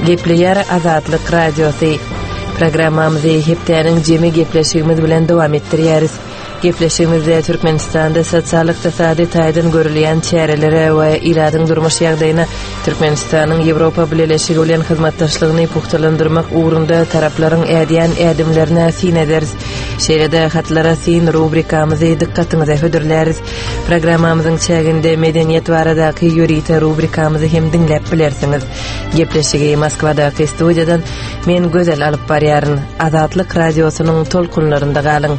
Gepleýär Azatlyk Radiosy. Programmamyzy hepdäniň jemi gepleşigimiz bilen dowam etdirýäris. Gepleşigimizde Türkmenistanda sosial-ykdysady taýdan görülýän çärelere we ilatyň durmuş ýagdaýyna Türkmenistanyň Ýewropa Bileleşigi bilen hyzmatdaşlygyny pugtalandyrmak ugrunda taraplaryň ädýän ädimlerine syn ederis. Şeýle-de Hatlara syn rubrikamyzy dykgatyňyza hödürläris. Programmamyzyň çäginde medeniýet baradaky ýörite rubrikamyzy hem diňläp bilersiňiz. Gepleşigi Moskwadaky studiýadan men Gözel alyp barýaryn. Azatlyk Radiosynyň tolkunlarynda galyň.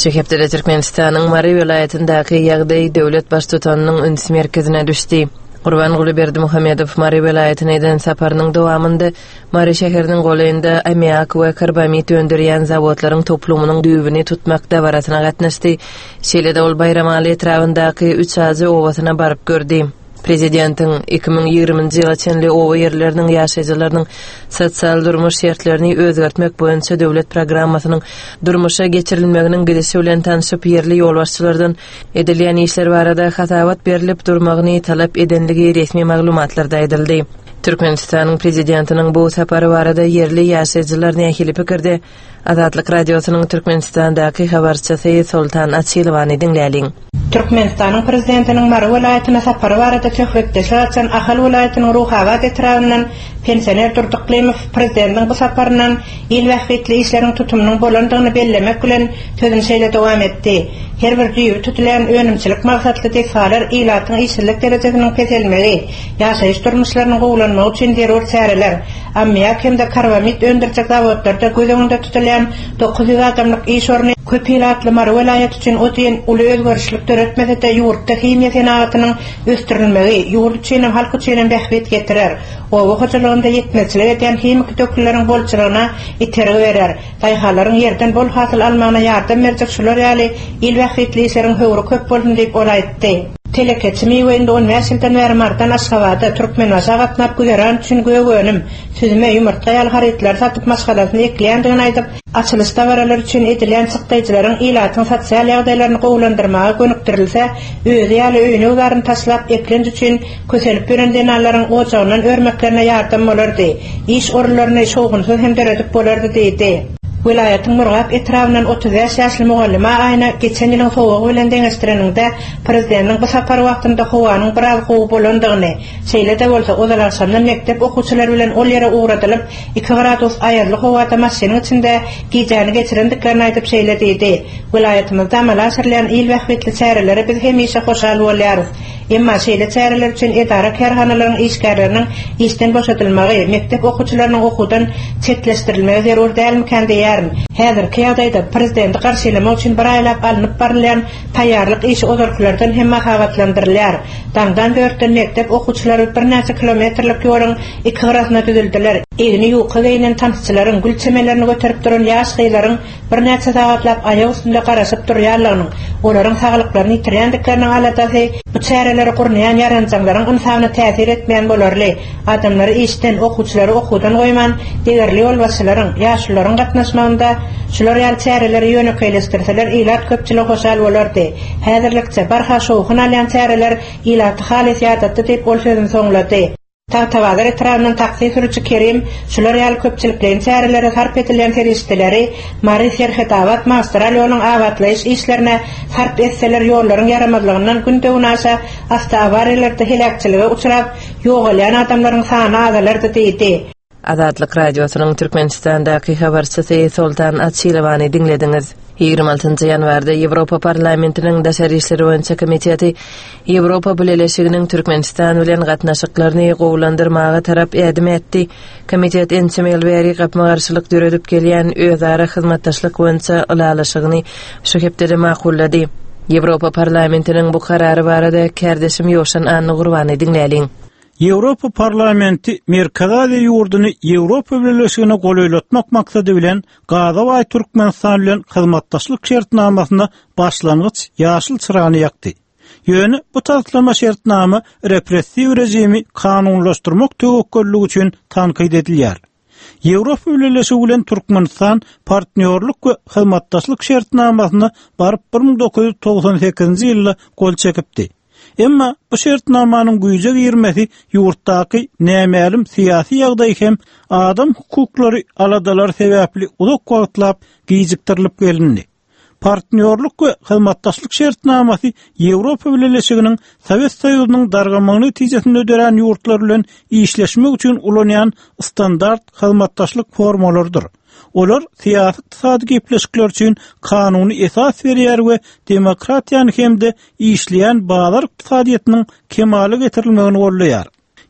Şu hepdede Türkmenistanyň Mary welaýatyndaky ýagdaý döwlet baştutanynyň üns merkezine düşdi. Gurbanguly Berdimuhamedow Mary welaýatyna eden saparynyň dowamynda Mary şäheriniň golaýynda ammiak we karbamid öndürýän zawodlaryň toplumynyň düýbüni tutmak dabarasyna gatnaşdy. Şeýle-de ol Baýramaly etrabyndaky Üçajy obasyna baryp gördi. Prezidentiň 2020-nji ýyla çenli oba ýerleriniň ýaşaýjylarynyň sosial-durmuş şertlerini özgertmek boýunça döwlet programmasynyň durmuşa geçirilmeginiň gidişi bilen tanşyp, ýerli ýolbaşçylardan edilýän işler barada hasabat berlip durmagyny talap edenligi resmi maglumatlarda aýdyldy. Türkmenistanyň Prezidentiniň bu sapary barada ýerli ýaşaýjylar nähili pikirde? Azatlyk Radiosynyň Türkmenistandaky habarçysy Soltan Açylowany diňläliň. Türkmenistanyň Prezidentiniň Mary welaýatyna sapary barada söhbetdeşlik açan Ahal welaýatynyň Ruhabat etrabyndan pensioner Durdy Yklimow Prezidentiň bu saparyndan il bähbitli işleriň tutumynyň bolandygyny bellemek bilen, sözüni şeýle dowam etdi, Her bir düýbi tutulýan önümçilik maksatly desgalar ilatyň işsizlik derejesiniň peselmegi, ýaşaýyş durmuşlarynyň gowulanmagy üçin zerur çäreler, ammiak hem-de karbamid öndürjek zawodlarda göz öňünde tutulýan 900 adamlyk iş orny köp ilatly Mary welaýaty üçin o diýen uly özgerişlik döretmese-de, ýurtda himiýa senagatynyň ösdürilmegi ýurt üçinem, halk üçinem bähbit getirer, oba hojalygynda ýetmezçilik edýän himiki dökünleriň bolçulygyna itergi berer, daýhanlaryň ýerden bol hasyl almagyna ýardam berjek şular ýaly il bähbitli işleriň höwri köp bolsun diýip, ol aýtdy. Telekeçi Miwe indi on bäş ýyldan bäri Marydan Aşgabada, Türkmenbaşa gatnap güzeran üçin gök önüm, süzme, ýumurtga ýaly harytlary satyp maşgalasyny ekleýändigini aýdyp, açylyş dabaralary üçin edilýän çykdaýjylaryň ilatyň sosial ýagdaýlaryny gowulandyrmaga gönükdirilse, özi ýaly öýüni-güzaryny taşlap eklenç üçin kösenip ýören zenanlaryň ojagyndan örmeklerine ýardam bolardy, iş orunlaryny şowhunsyz hem döredip bolardy diýdi. Welaýatyň Murgap etrabyndan 35 ýaşly mugallyma Aýna geçen ýylyň sowugy bilen deňeşdireniňde, prezidentiň bu sapary wagtynda howanyň biraz gowy bolandygyny, şeýle-de bolsa, ozal agşamdan mekdep okuwçylary bilen ol ýere ugradylyp, iki gradus aýazly howada maşynyň içinde gijäni geçirendiklerini aýdyp şeýle diýdi, Welaýatymyzda amala aşyrylýan il bähbitli çärelere biz hemişe hoşal bolýarys. Emma şeýle çäreler üçin edara-kärhanalaryň işgärleriniň işden boşadylmagy, mekdep okuwçylarynyň okuwdan çetleşdirilmegi zerur dälmikän diýýärin. Häzirki ýagdaýda prezidenti garşylamak üçin bir aýlap alnyp barylýan taýýarlyk işi ozalkylardan hem mahabatlandyrylýar. Daňdan dörtden mekdep okuwçylary birnäçe kilometrlik ýoluň iki gyrasyna düzüldiler. Egni ýuka geýnen tansçylaryň, gül çemenlerini göterip duran ýaş gyzlaryň birnäçe sagatlap aýak üstünde garaşyp durýanlygynyň, olaryň saglyklaryny ýitirýändikleriniň aladasy bu çäreleri gurnaýan ýaranjaňlaryň ynsabyna täsir etmeýän bolarly. Adamlary işden, okuwçylary okuwdan goýman, degerli ýolbaşçylaryň, ýaşulularyň gatnaşmagynda şular ýaly çäreleri ýönekeýleşdirseler ilat köpçüligi hoşal bolardy. Häzirlikçe, barha şowhun alýan çäreler ilaty halys ýadatdy diýip, ol sözüni soňlady. Tagtabazar etrabyndan taksi sürüji Kerim şular ýaly köpçülikleýin çärelere sarp edilýän serişdeleri Mary, Serhetabat magistral ýoluň abatlaýyş işlerine sarp etseler ýollaryň ýaramazlygyndan günde-günaşa awtoawariýalarda heläkçilige uçrap, ýogalýan adamlaryň sany azalardy diýdi. Azatlyk Radiosynyň Türkmenistandaky habarçysy Soltan Açylowany diňlediňiz. 26 ýanwarda Ýewropa Parlamentiniň Daşary işler boýunça komiteti Ýewropa Bileleşiginiň Türkmenistan bilen gatnaşyklaryny gowulandyrmaga tarap ädim ätdi. Komitet ençeme ýyl bäri gapma-garşylyk döredip gelýän özara hyzmatdaşlyk boýunça ylalaşygyny şu hepdede makullady. Ýewropa Parlamentiniň bu karary barada kärdeşim Ýowşan Annagurbany diňläliň. Ýewropa Parlamenti Merkezi Aziýa ýurduny Ýewropa Bileleşigine golaýlatmak maksady bilen gaza baý Türkmenistan bilen hyzmatdaşlyk şertnamasyna başlangyç ýaşyl çyrany ýakdy. Ýöne bu taslama şertnama repressiw režimi kanunlaşdyrmak töwekgelligi üçin tankyt edilýär. Ýewropa Bileleşigi bilen Türkmenistan partnýorlyk we hyzmatdaşlyk şertnamasyna baryp 1998-nji ýylda gol çekipdi. Emma bu şertnamanyň güýje girmesi ýurtdaky nämälim syýasy ýagdaý hem adam hukuklary aladalary sebäpli uzak wagtlap gijikdirilip gelindi. Partnýorlyk we hyzmatdaşlyk şertnamasy Ýewropa Bileleşiginiň Sowet Soýuzynyň dargamagy netijesinde dörän ýurtlar bilen işleşmek üçin ulanýan standart hyzmatdaşlyk formalarydyr. Olar syýasy-ykdysady gepleşikler üçin kanuny esas berýär we demokratiýany hem-de işleýän bazar ykdysadyýetiniň kemala getirilmegini goldaýar.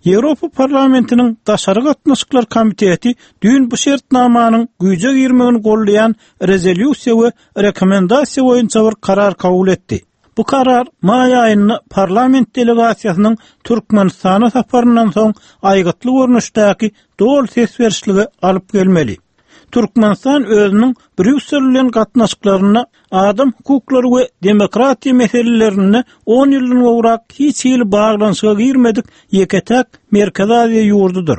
Ýewropa Parlamentiniň Daşary gatnaşyklar komiteti düýn bu şertnamanyň güýje girmegini goldaýan rezolýusiýa we rekomendasiýa boýunça bir karar kabul etdi. Bu karar maý aýynda parlament delegasiýasynyň Türkmenistana saparyndan soň aýgytly görnüşdäki doly ses berişlige alyp gelmeli. Türkmenistan özüniň Brýussel bilen gatnaşyklarynda adam hukuklary we demokratiýa meselelerinde on ýyldan gowrak hiç hili baglanyşyga girmedik ýeke-täk Merkezi Aziýa ýurdudyr.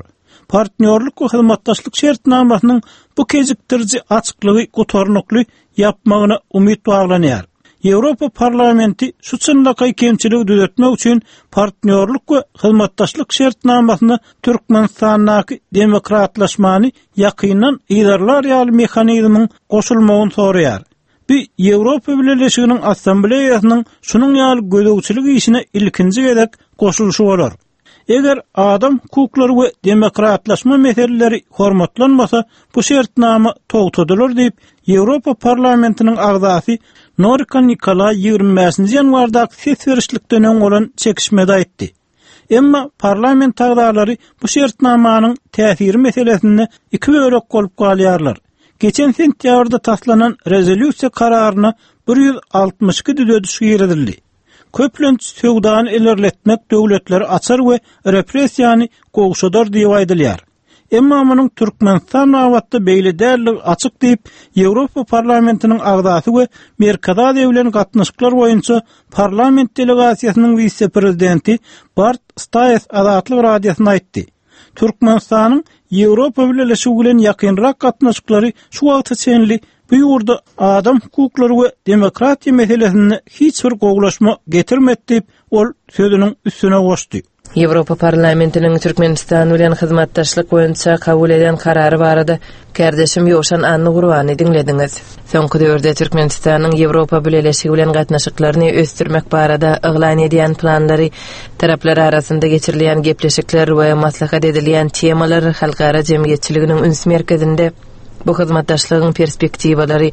Partnýorlyk we hyzmatdaşlyk şertnamasynyň bu kejikdiriji açyklygy gutarnykly ýapmagyna umyt baglanýar. Ýewropa Parlamenti şu çynlakaý kemçiligi düzetmek üçin Partnýorlyk we hyzmatdaşlyk şertnamasyna Türkmenistandaky demokratlaşmany ýakyndan yzarlar ýaly mehanizmiň goşulmagyny soraýar. Bu Ýewropa Bileleşiginiň Assambleýasynyň şunuň ýaly gözegçilik işine ilkinji gezek goşulyşy bolar. Eger adam hukuklary we demokratlaşma meseleleri hormatlanmasa, bu şertnama togtadylar diýip, Ýewropa Parlamentiniň agzasy Norika Nikolaý 25-nji ýanwardaky ses berişlikden öň bolan çekişmede aýtdy. Emma parlament agzalary bu şertnamanyň täsiri meselesinde iki bölek bolup galýarlar. Geçen sentýabrda taslanan rezolýusiýa kararyna 162 düzediş girizildi. Köplenç söwdany ilerletmek döwletleri açar we repressiýany gowşadar diýip aýdylýar. Emma munuň Türkmenistan babatda beýle däldigi açyk diýip, Ýewropa Parlamentiniň agzasy we Merkezi Aziýa bilen gatnaşyklar boýunça parlament delegasiýasynyň wise-prezidenti Bart Staes Azatlyk Radiosyna aýtdy. Türkmenistanyň Ýewropa Bileleşigi bilen ýakynrak gatnaşyklary şu wagta çenli bu ýurda adam hukuklary we demokratiýa meselesinde hiç bir gowulaşma getirmedi diýip, ol sözüniň üstüne goşdy. Ýewropa Parlamentiniň Türkmenistan bilen hyzmatdaşlyk boýunça kabul eden karary barada kärdeşim Ýowşan Annagurbany diňlediňiz. Soňky döwürde Türkmenistanyň Ýewropa Bileleşigi bilen gatnaşyklaryny ösdürmek barada yglan edýän planlary, taraplar arasynda geçirilýän gepleşikler we maslahat edilýän temalar halkara jemgyýetçiliginiň üns merkezinde. Bu hyzmatdaşlygyň perspektiwalary,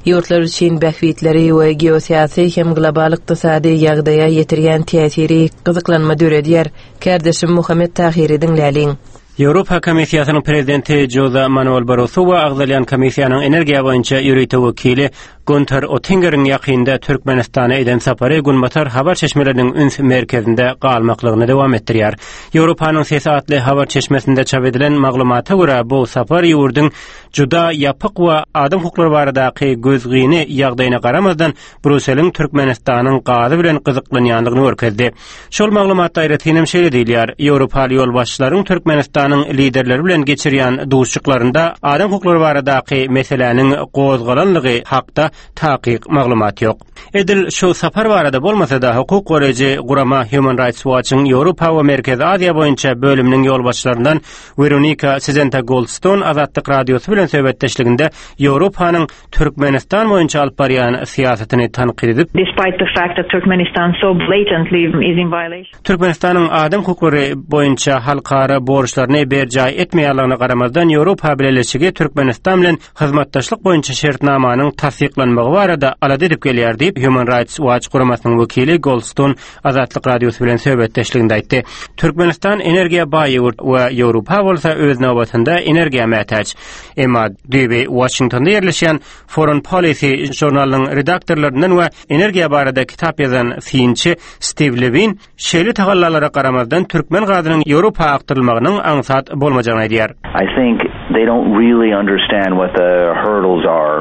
ýurtlar üçin bähbitleri we geosyýasy hem global ykdysady ýagdaýa ýetirýän täsiri gyzyklanma döredýär. Kärdeşim Muhammet Tahyry diňläliň. Ýewropa Komissiýasynyň prezidenti Žoze Manuel Barroso we agzalýan komissiýanyň energiýa boýunça ýörite wekili Günter Ottingeriň ýakynda Türkmenistana eden sapary günbatar habar çeşmeleriniň üns merkezinde galmaklygyny dowam etdirýär. Ýewropanyň sesi atly habar çeşmesinde çap edilen maglumata görä, bu sapar ýurduň juda ýapyk we adam hukuklary baradaky gözgyny ýagdaýyna garamazdan, Brýusseliň Türkmenistanyň gazy bilen gyzyklanýandygyny görkezdi. Şol maglumatda aýratyn hem şeýle diýilýär, Ýewropaly ýolbaşçylaryň Türkmenistanyň liderleri bilen geçirýän duşuşyklarynda adam hukuklary baradaky meseläniň gozgalanlygy hakda takyk maglumat ýok. Edil şu sapar barada bolmasa-da, hukuk goraýjy gurama Human Rights Watch-yň Ýewropa we Merkezi Aziýa boýunça bölüminiň ýolbaşçylaryndan Weronika Sizenta-Goldstone Azatlyk Radiosy bilen söhbetdeşliginde Ýewropanyň Türkmenistan boýunça alyp barýan syýasatyny tankyt edip, Despite the fact that Turkmenistan so blatantly is in violation. Türkmenistanyň adam hukuklary boýunça halkara borçlaryny berjaý etmeýänligine garamazdan, Ýewropa Bileleşigi Türkmenistan bilen hyzmatdaşlyk boýunça şertnamanyň tassyklanmagy barada alada edip gelýär diýip, Human Rights Watch guramasynyň wekili Goldstone Azatlyk Radiosy bilen söhbetdeşliginde aýtdy. Türkmenistan energiýa baý ýurt we Ýewropa bolsa öz nobatynda energiýa mätäç. Emma düýbi Waşingtonda ýerleşýän Foreign Policy žurnalynyň redaktorlaryndan we energiýa barada kitap ýazan synçy Stiw Lewin şeýle tagallalara garamazdan türkmen gazynyň Ýewropa akdyrylmagynyň aňsat bolmajagyny aýdýar. I think. They don't really understand what the hurdles are.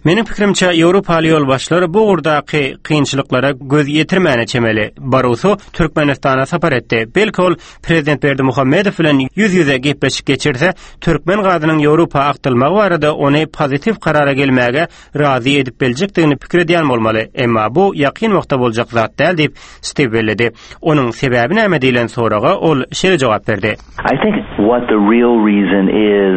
Meniň pikirimçe, ýewropaly ýolbaşçylar bu ugurdaky kynçylyklara göz ýetirmäne çemeli. Barroso Türkmenistana sapar etdi. Belki ol prezident Berdimuhamedow bilen ýüz-ýüze gepleşik geçirse, türkmen gazynyň Ýewropa akdyrylmagy barada ony pozitiw karara gelmäge razy edip biljekdigini pikir edýän bolmaly. Emma bu ýakyn wagtda boljak zat däl diýip, Stiw belledi. Onuň sebäbi näme diýlen soraga ol şeýle jogap berdi. I think what the real reason is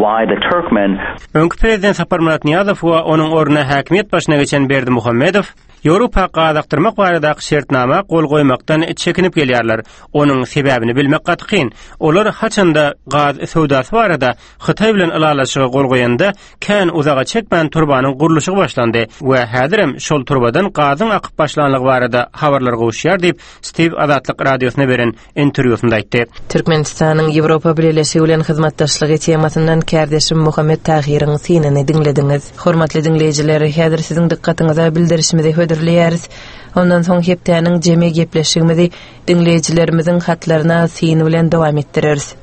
why the Turkmen. Öňki prezident Saparmyrat Nyýazow we onuň ornuna häkimiýet başyna geçen Berdimuhamedow Ýewropa gaz akdyrmak baradaky şertnama gol goýmakdan çekinip gelýärler. Onuň sebäbini bilmek gaty kyn. Olar haçanda gaz söwdasy barada Hytaý bilen ylalaşyga gol goýanda, kän uzaga çekmän turbanyň gurluşygy başlandy we häzirem şol turbadan gazyň akyp başlanlygy barada habarlar gowuşýar diýip, Stiw Azatlyk Radiosyna beren interwýusynda aýtdy. Türkmenistanyň Ýewropa Bileleşigi bilen hyzmatdaşlygy temasyndan kärdeşim Muhammet Tahyryň synyny diňlediňiz. Hormatly diňleýjiler, häzir siziň dykgatyňyza bildirişimizi hödürleýäris. Ondan soň hepdäniň jemi gepleşigimizi Diňleýjilerimiziň hatlaryna syn bilen dowam etdireris.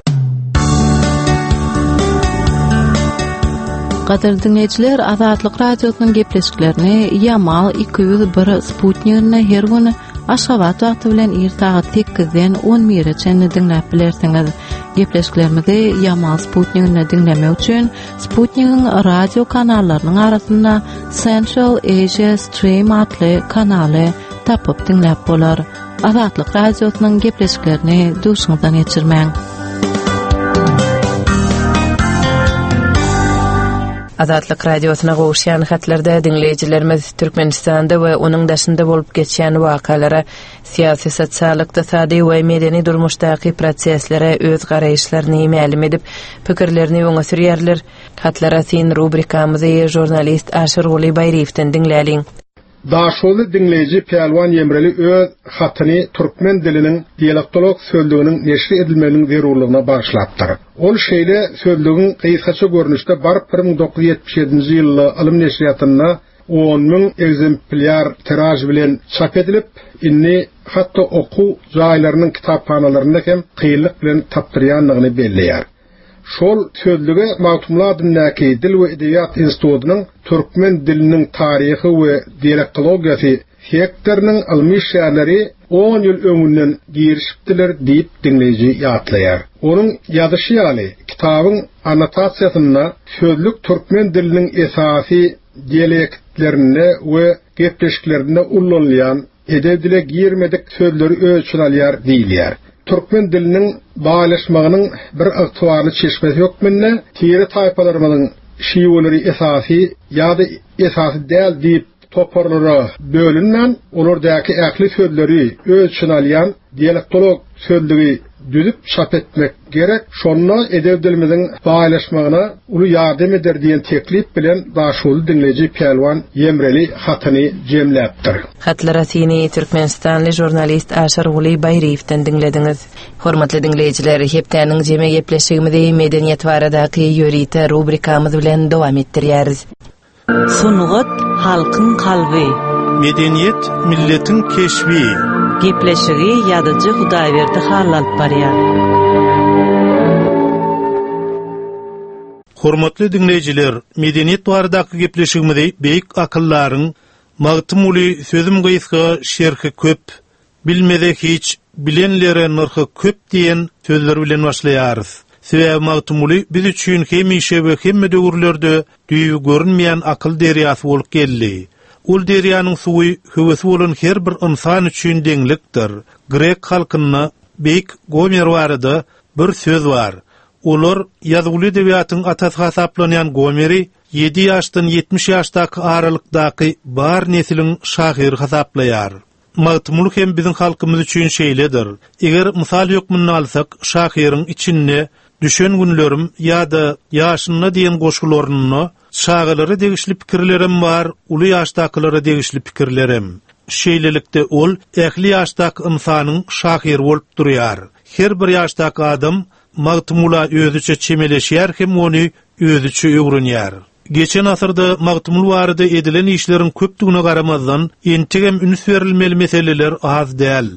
Gadyrly diňleýjiler, Azatlyk Radiosynyň gepleşiklerini Ýamal 201 sputniginde her gün Aşgabat wagty bilen ir sagat 8-den 11-e çenli diňläp bilersiňiz. Gepleşiklerimizi Ýamal sputniginde diňlemek üçin Sputnigiň radio kanallarynyň arasynda Central Asia Stream atly kanaly tapyp diňläp bolar. Azatlyk Radiosynyň gepleşiklerini duşuňyzdan geçirmäň. Azatlyk Radiosyna gowuşýan hatlarda diňleýjilerimiz Türkmenistanda we onuň daşynda bolup geçýän wakalara, syýasy, sosial, ykdysady we medeni durmuşdaky proseslere öz garaýyşlaryny mälim edip, pikirlerini öňe sürýärler. Hatlara syn rubrikamyzy žurnalist Aşyrguly Baýryýewden diňläliň. Daşoguzly diňleýji Pälwan Ýemreli öz hatyny türkmen diliniň dialektolog sözlüginiň neşir edilmeginiň zerurlygyna bagyşlapdyr. Ol şeýle sözlügiň gysgaça görnüşde baryp 1977-nji ýylda Ylym neşirýatynda 10,000 ekzemplýar tiraž bilen çap edilip, indi hatda okuw jaýlarynyň kitaphanalarynda hem kynlyk bilen tapdyrýandygyny belleýär. Şol sözlüge Magtymguly adyndaky Dil we edebiýat institutynyň Türkmen diliniň taryhy we dialektologiýasy sektorynyň ylmy işgärleri on ýyl öňünden girişipdiler diýip diňleýji ýatlaýar. Onuň ýazyşy ýaly, kitabyň annotasiýasynda sözlük türkmen diliniň esasy dialektlerinde we gepleşiklerinde ullanylýan Edebi dile girmedik sözleri öz içine alýar diýilýär. Türkmen diliniň baýlaşmagynyň bir ygtybarly çeşmesi hökmünde tire-taýpalarymyzyň şiweleri esasy ýa-da esasy däl diýip toparlara bölünmän, olardaky ähli sözleri öz içine alýan dialektolog sözlügi düzüp çap etmek gerek, şonda edebi dilimiziň baýlaşmagyna uly ýardam eder diýen teklip bilen Daşoguzly diňleýji Pälwan Ýemreli hatyny jemläpdir. Hatlara syny türkmenistanly žurnalist Aşyrguly Baýryýewden diňlediňiz. Hormatly diňleýjiler, hepdäniň jemi gepleşigimizi medeniýet baradaky ýörite rubrikamyz bilen dowam etdirýäris. Sungat halkyň kalby. Medeniýet milletiň keşbi. Gepleşigi ýazyjy Hudaýberdi Hally alyp barýar. Hormatly diňleýjiler, medeniýet baradaky gepleşigimizi beýik akyldaryň Magtymguly sözüm gysga, şerhi köp, Bilmeze hiç, bilenlere nyrhy köp diýen sözler bilen başlaýarys. Sebäbi Magtymguly biz üçin hemişe we hemme döwürlerde düýbi görünmeýän akyl derýasy bolup geldi. Ol derýanyň suwy höwesi bolan her bir ynsan üçin deňlikdir. Grek halkynda beýik Gomer barada bir söz bar. Olar ýazuwly edebiýatyň atasy hasaplanýan Gomeri ýedi ýaşdan 70 ýaşdaky aralykdaky bar nesliň şahyry hasaplaýar. Magtymguly hem biziň halkymyz üçin şeýledir. Eger mysal hökmünde alsak, şahyryň Içinde, Düşen günlerim ýa-da Ýaşynda diýen goşgularynda çagalara degişli pikirlerem bar, uly ýaşdakylara degişli pikirlerem. Şeýlelikde, ol ähli ýaşdaky ynsanyň şahyry bolup durýar. Her bir ýaşdaky adam Magtymgula özüçe çemeleşýär hem ony özüçe öwrenýär. Geçen asyrda Magtymguly barada edilen işleriň köpdügine garamazdan, entegem üns berilmeli meseleler az däl.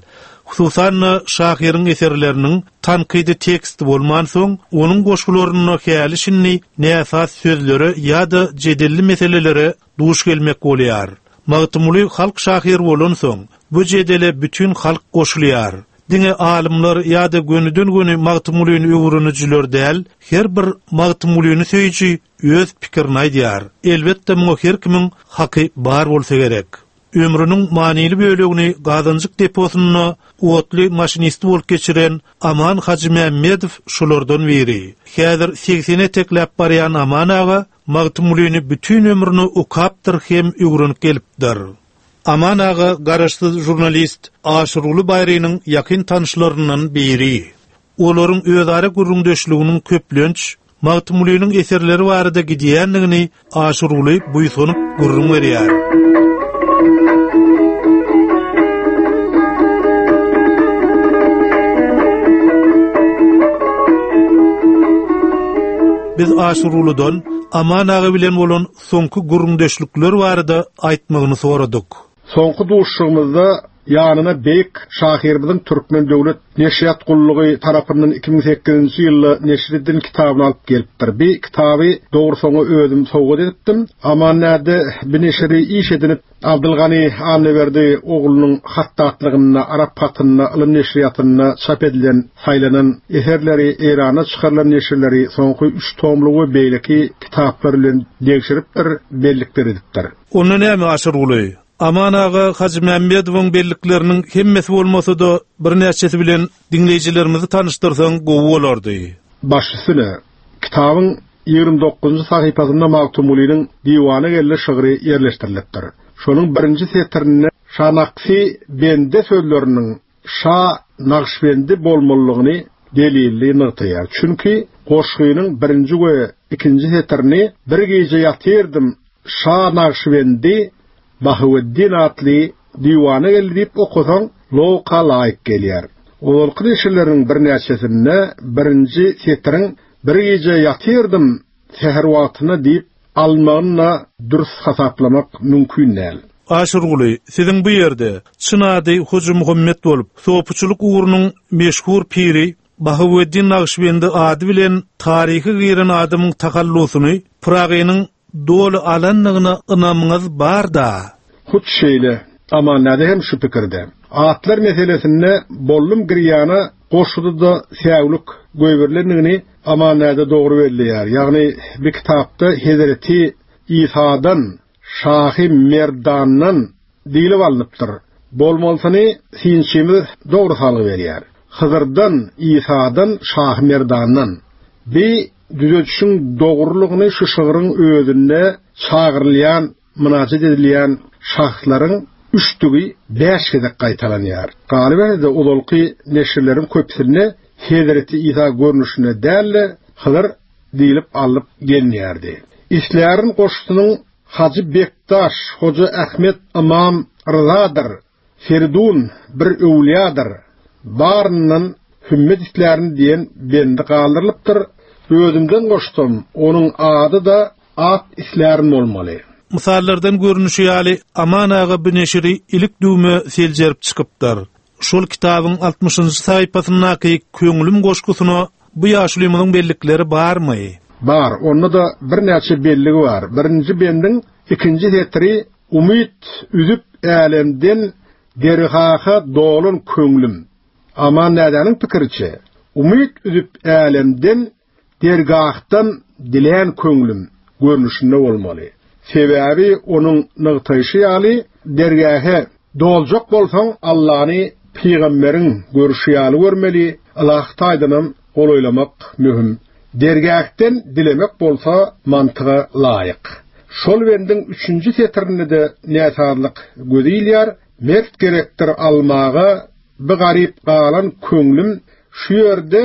Hususan-da, şahyryň eserleriniň tankydy teksti bolmansoň, onuň goşgularynda häli-şindi näsaz sözlere ýa-da jedelli meselelere duş gelmek bolýar. Magtymguly halk şahyry bolansoň, bu jedele bütin halk goşulýar. Diňe alymlar ýa-da gönüden-göni Magtymgulyny öwrenijiler däl, her bir Magtymgulyny söýüji öz pikirini aýdýar. Elbetde, muňa her kimiň haky bar bolsa gerek. Ömrüniň manyly bölegini Gazanjyk deposynda otly maşinisti bolup geçiren Aman Hajymämmedow şolardan biri. Häzir segseni etekläp barýan Aman aga Magtymgulyny bütin ömrüne okapdyr hem öwrenip gelipdir. Aman aga garaşsyz žurnalist Aşyrguly Baýrynyň ýakyn tanyşlaryndan biri. Olaryň özara gürrüňdeşliginiň köplenç Magtymgulynyň eserleri barada gidýändigini Aşyrguly buýsanyp gürrüň berýär. Biz Aşyrgulydan Aman aga bilen bolan soňky gürrüňdeşlikler barada aýtmagyny soradyk. Soňky duşuşygymyzda ýanyna beýik şahyrymyzyň Türkmen döwlet neşirýat gullugy tarapyndan 2008-nji ýylda neşir edilen kitabyny alyp gelipdir. Bi kitaby dogrusy oňa özüm sowgat edipdim. Aman näde bi neşiri iş edinip Abdylgany Annaberdi oglunyň hatdatlygynda, arap hatynda, ylym neşirýatynda çap edilen, saýlanan eserleri, Eýranda çykarylan neşirleri soňky üç tomlugy we beýleki kitaplar bilen degşiripdir, bellikler edipdir. Onda näme, Aşyrguly? Aman aga Hajymämmedowyň bellikleriniň hemmesi bolmasa-da, birnäçesi bilen diňleýjilerimizi tanyşdyrsaň gowy bolardy. Baş üstüne, kitabyň 29-njy sahypasynda Magtymgulynyň Diwana geldi şygry ýerleşdirilipdir. Şonuň birinji setirinde Şanaksy bende sözleriniň Şa Nagyşbendi bolmalydygyny delilli nygtaýar. Çünki goşgynyň birinji we ikinji setirini Bir gije ýatyrdym, Şa Nagyşbendi Bahaweddin atly diwana geldi diýip okasaň, logika laýyk gelýär. Ozalky neşirleriň birnäçesinde birinji setiriň Bir gije ýatyrdym säher wagtynda diýip alynmagyny-da dürs hasaplamak mümkin däl. Aşyrguly, siziň bu ýerde, çyn ady Hojamuhammet bolup, sopuçylyk ugrunyň meşhur piri Bahaweddin Nagyşbendi ady bilen taryha giren adamyň tahallusyny Pyragynyň doly alandygyna ynamyňyz bar-da? Hut şeýle. Amannäde hem şu pikirde. Atlar meselesinde Bollum Girýana goşguda-da säwlik goýberilendigini Amannäde dogry belleýär. Ýagny bir kitapda Hezreti Isadan, Şahy Merdandan diýlip alnypdyr. Bolmalysyny synçymyz dogry salgy berýär. Hydyrdan, Isadan, Şahy Merdandan. Bi düzedişiň dogrulygyny şu şygryň özünde çagyrylýan, mynajat edilýän şahslaryň üçdügi bäş gezek gaýtalanýar. Galyberse-de, ozalky neşirleriň köpüsinde Hezreti Isa görnüşinde däl-de, Hydyr diýlip alnyp gelinýärdi. Islärin goşgusynyň Hajy Bekdaş, Hoja Ahmet Ymam Ryzadyr, Feridun bir öwlüýadyr, baryndan hümmet islärin diýen bendi galdyrylypdyr, özümden goşsam, onuň ady-da At islärin bolmaly. Mysallardan görnüşi ýaly, Aman aga bu neşiri ilik-düwme seljerip çykypdyr. Şol kitabyň altmyşynjy sahypasyndaky Köňlüm goşgusyna bu ýaşulymyzyň bellikleri barmy? Bar, onda-da birnäçe belligi bar. Birinji bendiň ikinji setiri Umyt üzüp älemden dergaha dolan köňlüm. Aman dädäniň pikiriçe, Umyt üzüp älemden dergahdan dilän köňlüm görnüşinde bolmaly. Sebäbi onuň nygtaýşy ýaly, dergähe doljak bolsaň, Allany pygamberiň görşi ýaly görmeli, ylahy taýdanam golaýlamak möhüm. Dergähden dilemek bolsa mantyga laýyk. Şol bendiň üçünji setirinde-de näsazlyk göze ilýär, Mert gerekdir almaga bi garyp galan köňlüm şu ýerde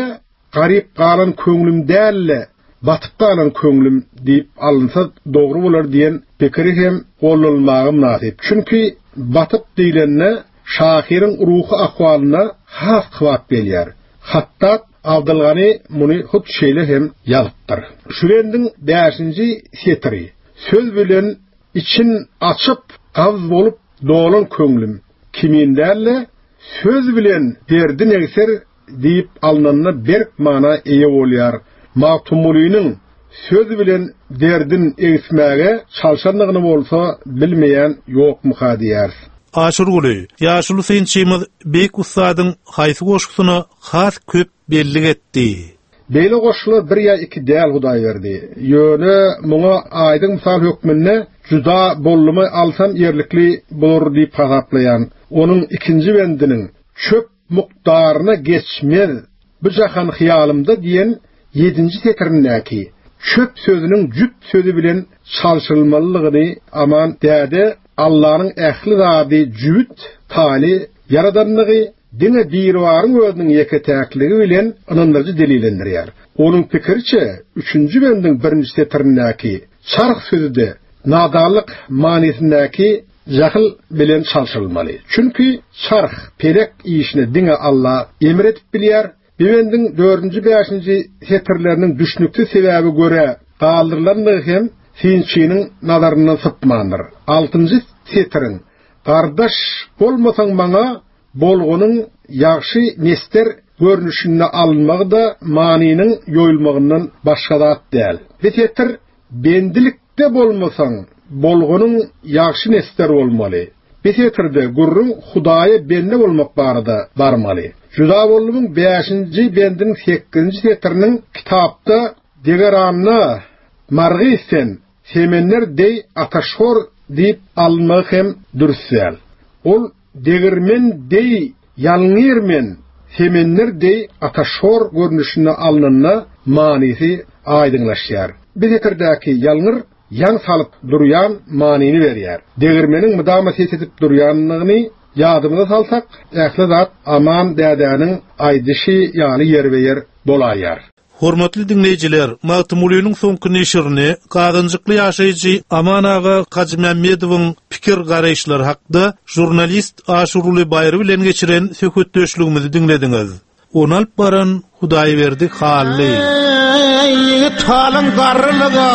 Garyp galan köňlüm däl-de, batyp galan köňlüm diýip alynsa dogry bolar diýen pikiri hem gollanylmaga mynasyp. Çünki batyp diýlende şahyryň ruhy ahwalyna has kybap gelýär. Hatdat Abdylgany muny hut şeýle hem ýazypdyr. Şu bendiň bäşinji setiri, Söz bilen için açyp, gabz bolup dolan köňlüm kimin däl-de, Söz bilen derdin egser diýip alnanda berk mana eýe bolýar. Magtymgulynyň söz bilen derdin egsmäge çalşandygyny bolsa bilmeýän ýokmuka diýýäris. Aşyrguly, ýaşuly synçymyz beýik ussadyň haýsy goşgusyna has köp bellik etdi? Beýle goşgular bir ýa iki däl Hudaýberdi. Ýöne muňa aýdyň mysal hökmünde Juda boldumy alsam ýerlikli bolar diýip hasaplaýan. Onuň ikinji bendiniň Çöp mukdaryna geçmez bu jahan hyýalymda diýen ýedinji setirindäki çöp sözüniň jüp sözi bilen çalşyrylmalydygyny Aman däde Allanyň ähli zady jübüt, taýly ýaradandygy, diňe Biribaryň özüniň ýeke-täkligi bilen ynandyryjy delillendirýär. Onuň pikiriçe, üçünji bendiň birinji setirindäki çarh sözi-de nadanlyk manysyndaky jahyl bilen çalşyrylmaly. Çünki çarh, pelek işine diňe Alla emr edip bilýär. Bu bendiň dördünji-bäşinji setirleriniň düşnüksiz sebäbe görä galdyrylandygy hem synçynyň nazaryndan sypmandyr. Altynjy setiriň Gardaş bolmasaň maňa bolgunyň ýagşy mesder görnüşinde alynmagy-da manynyň ýoýulmagyndan başga zat däl. Bu setir bendilikde bolmasaň bolgunyň ýagşy mesder bolmaly. Bu setirde gürrüň Hudaýa bende bolmak barada barmaly. Juda boldumyň bäşinji bendiniň sekizinji setiriniň kitapda Degeranda margys sen, Semender deý ataşhor diýip alynmagy hem dürs däl. Ol degirmen deý ýalňyr men, semender deý ataşhor görnüşinde alnanda manysy aýdyňlaşýar. Bu setirdäki ýalňyr ýaň salyp durýan manyny berýär. Degirmeniň mydama ses edip durýandygyny ýadymyza salsak, ähli zat Aman dädäniň aýdyşy ýaly ýerbe-ýer bolaýýar. Hormatly diňleýjiler, Magtymgulynyň soňky neşirini gazanjykly ýaşaýjy Aman aga Hajymämmedowyň pikir-garaýyşlary hakda žurnalist Aşyrguly Baýry bilen geçiren söhbetdeşligimizi diňlediňiz. Ony alyp baran Hudaýberdi Hally. Eý, ýigit halyň garrylyga,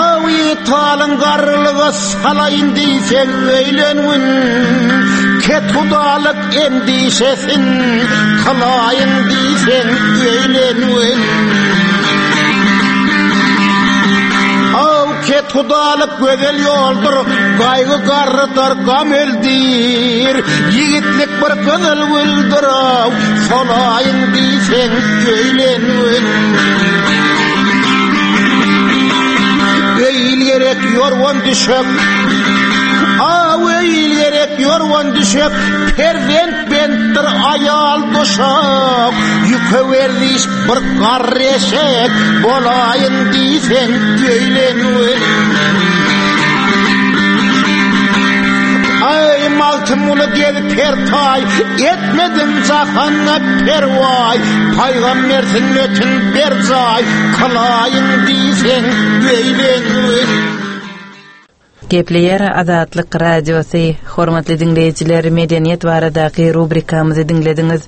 Aw ýigit halyň garrylyga Salaýyn diýseň öýlengin, Kethudalyk endişesin Kylaýyn diýseň öýlengin. Aw kethudalyk gözel ýoldur, Gaýgy garrydar, gam öldür, Ýigitlik bir gyzyl güldür, Aw solaýyn diýseň öýlengin. Öý-il gerek ýorgan düşek, Aw öý-il gerek ýorgan düşek, Perzent bentdir aýal duşak, Ýüke werziş bir garry eşek, Bolaýyn diýseň öýlen Aý Magtymguly gel pertaý, Etmediň jahanda perwaý, Pygamber sünnetin berjaý, Kylaýyn diýseň öýlen. Gepleýär Azatlyk Radiosy, Hormatly diňleýjiler, medeniýet baradaky rubrikamyzy diňlediňiz.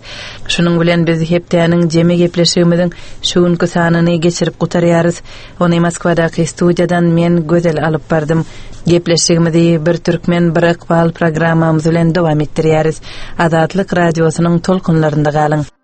Şunuň bilen biz hepdäniň jemi gepleşigimiziň şu günki sanyny geçirip gutarýarys. Ony Moskwadaky studiýadan men, Gözel alyp bardym. Gepleşigimizi Bir türkmen, bir ykbal programmamyz bilen dowam etdirýäris. Azatlyk Radiosynyň tolkunlarynda galyň!